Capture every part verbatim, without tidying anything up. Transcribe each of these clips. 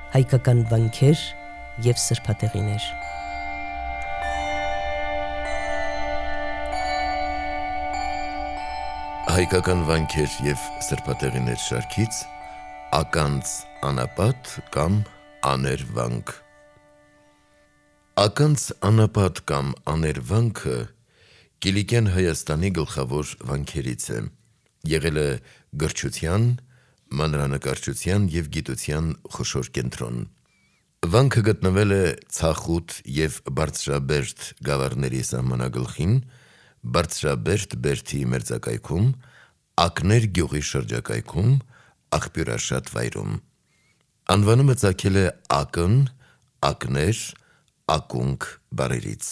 հայկական վանքեր և սրբատեղիներ։ Հայկական վանքեր և սրբատեղիներ շարքից ականց անապատ կամ աներվանք։ Ականց անապատ կամ աներվանքը Կիլիկյան Հայաստանի գլխավոր վանքերից է, եղել է գրչության, մանրանկարչության և գիտության խոշոր կենտրոն։ Վանքը գտնվել է Ցախուտ և Բարձրաբերդ գավառների սահմանագլխին, Բարձրաբերդ բերդի մերձակայքում, Ակներ գյուղի շրջակայքում, աղբյուրաշատ վայրում։ Անվանումը ծագել է ակն, ակներ, ակունք բառերից։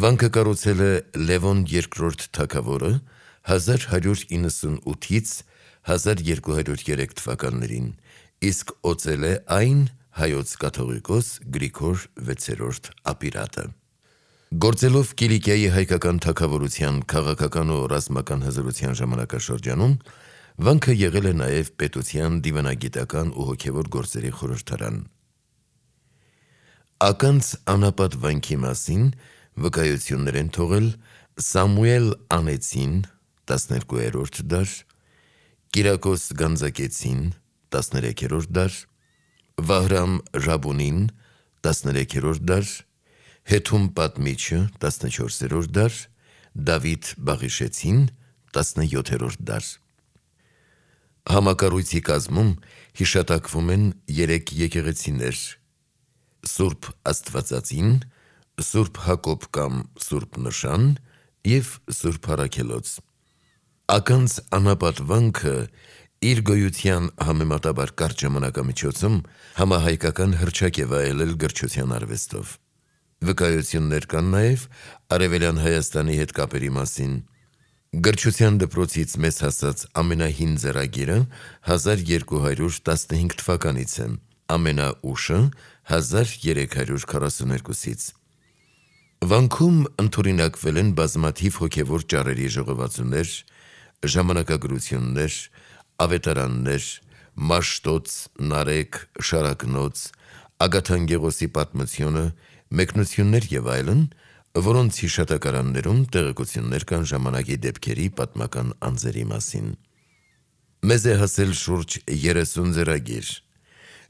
Վանքը կառուցել է Լևոն երկրորդ թագավորը հազար հարյուր իննսունութից հազար երկու հարյուր երեք թվականներին, իսկ օծել է այն հայոց կաթողիկոս Գրիգոր վեցերորդ ապիրատը։ Գործելով Կիլիկիայի հայկական թագավորության քաղաքական ու ռազմական հզորության ժամանակաշրջանում, վանքը եղել է նաև պետության դիվանագիտական ու հոգևոր գործերի խորհրդարան։ Ականց անապատ վանքի մասին վկայություններ են թողել Սամուել Անեցին տասներկուերորդ դար, Կիրակոս Գանձակեցին տասներեքերորդ դար, Վահրամ Ժաբունին տասներեքերորդ դար, Հեթում Պատմիչը տասնչորսերորդ դար, Դավիթ Բաղիշեցին տասնյոթերորդ դար։ Համակառույցի կազմում հիշատակվում են երեք եկեղեցիներ՝ Սուրբ Աստվածածին, Սուրբ Հակոբ կամ Սուրբ Նշան և Սուրբ Առաքելոց։ Ականց անապատ վանքը իր գոյության համեմատաբար կարճ ժամանակամիջոցում համահայկական հռչակ է վայելել գրչության արվեստով։ Վկայություններ կան նաև Արևելյան Հայաստանի հետ կապերի մասին։ Գրչության դպրոցից մեզ հասած ամենահին ձեռագիրը հազար երկու հարյուր տասնհինգ թվականից է, ամենաուշը հազար երեք հարյուր քառասուներկուսից։ Վանքում ընդօրինակվել են բազմաթիվ հոգևոր ճառերի ժողովածուներ, ժամանակագրություններ, ավետարաններ, Մաշտոց, Նարեկ, Շարակնոց, Ագաթանկեղոսի պատմությունը, մեկնություններ և այլն, որոնց հիշատակարաններում տեղեկություններ կան ժամանակի դեպքերի պատմական անձերի մասին։ Մեզ է հասել շուրջ երեսուն ձեռագիր։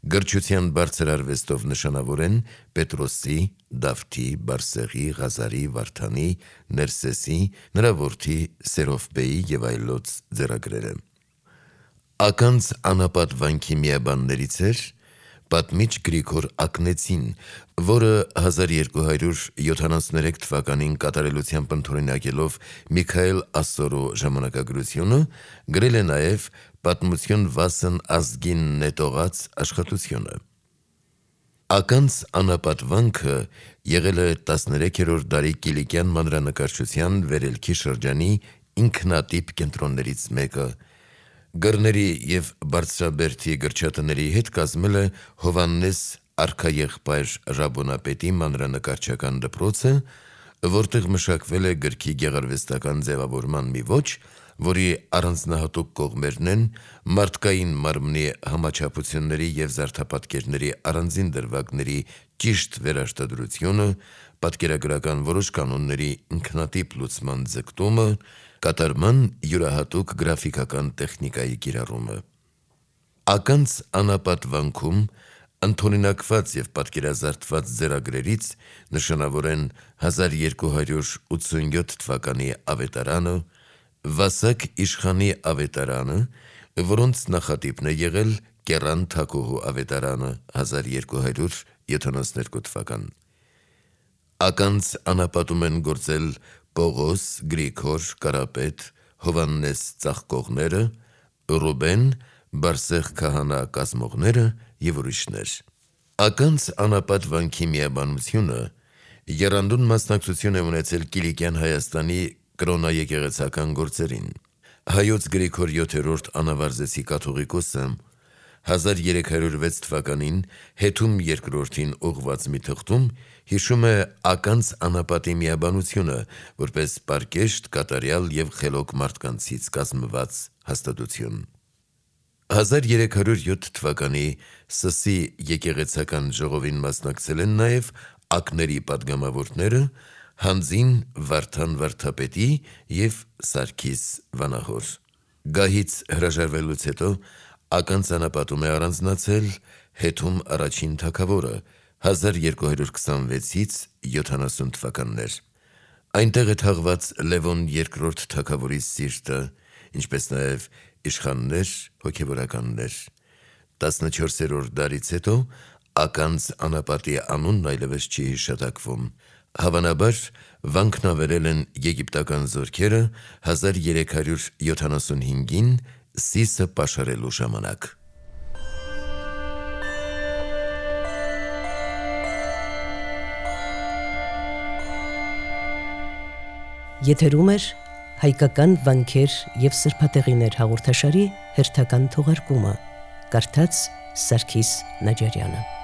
Գրչության բարձր արվեստով նշանավոր են Պետրոսի, Դավթի, Բարսեղի, Ղազարի, Վարդանի, Ներսեսի, նրա որդի Սերովբեի և այլոց ձեռագրերը։ Ականց անապատ վանքի միաբաններից էր պատմիչ Գրիգոր Ակնեցին, որը հազար երկու հարյուր յոթանասուներեք թվականին կատարելությամբ ընդօրինակելով Միքայել Ասորու ժամանակագրությունը, գրել է նաև «Պատմություն վասն ազգին» նետողած աշխատությունը։ Ականց անապատ վանքը եղել է տասներեքերորդ դարի կիլիկյան մանրանկարչության վերելքի շրջանի ինքնատիպ կենտրոններից մեկը։ Գրների և Բարձրաբերդի գրչատների հետ կազմել է Հովհաննես արքաեղբայր Ռաբոնապետի մանրանկարչական դպրոցը, որտեղ մշակվել է գրքի գեղարվեստական ձևավորման մի ոճ, որի առանձնահատուկ կողմերն են մարդկային մարմնի համաչափությունների և զարդապատկերների առանձին դրվագների ճիշտ վերարտադրությունը, պատկերագրական որոշ կանոնների ինքնատիպ լուծման ձգտումը, կատարման յուրահատուկ գրաֆիկական տեխնիկայի կիրառումը։ Ականց անապատ վանքում ընդօրինակված և պատկերազարդված ձեռագրերից նշանավոր են հազար երկու հարյուր ութսունյոթ թվականի ավետարանը, Վասակ իշխանի ավետարանը, որոնց նախատիպն է եղել Կեռան Թագուհու ավետարանը հազար երկու հարյուր յոթանասուներկու թվական։ Ականց անապատում են գործել Պողոս, Գրիգոր, Կարապետ, Հովհաննես ծաղկողները, Ռուբեն, Բարսեղ քահանա կազմողները և ուրիշներ։ Ականց անապատ վանքի միաբանությունը եռանդուն մասնակցություն է ունեցել Կիլիկյան Հայաստանի կրոնաեկեղեցական գործերին։ Հայոց Գրիգոր յոթերորդ անավարձեցի կաթողիկոսը հազար երեք հարյուր վեց թվականին Հեթում երկրորդին ուղղված մի թղթում հիշում է ականց անապատի միաբանությունը որպես պարկեշտ, կատարյալ և խելոք մարդկանցից կազմված հաստատություն։ հազար երեք հարյուր յոթ թվականի Սսի եկեղեցական ժողովին մասնակցել են նաև ակների պատգամավորները Հանձին Վարդան վարդապետի և Սարգիս Վանահոր։ Գահից հրաժարվելուց հետո ական ծանապատում է առանձնացել Հետում առաջին թագավորը հազար երկու հարյուր քսանվեցից յոթանասուն թվականներ։ Այնտեղ է թաղված Լևոն երկրորդ թագավորի սիրտը, ինչպես նաև իշխաններ, հոգևորականներ։ տասնչորսերորդ դարից հետո ականց անապատի անունն այլևս չի հիշատակվում։ Հավանաբար վանքնավերել են եգիպտական զորքերը հազար երեք հարյուր յոթանասունհինգին Սիսը պաշարելու ժամանակ։ Եթերում էր հայկական վանքեր և սրբատեղիներ հաղորդաշարի հերթական թողարկումը, կարդաց Սարգիս Նաջարյանը։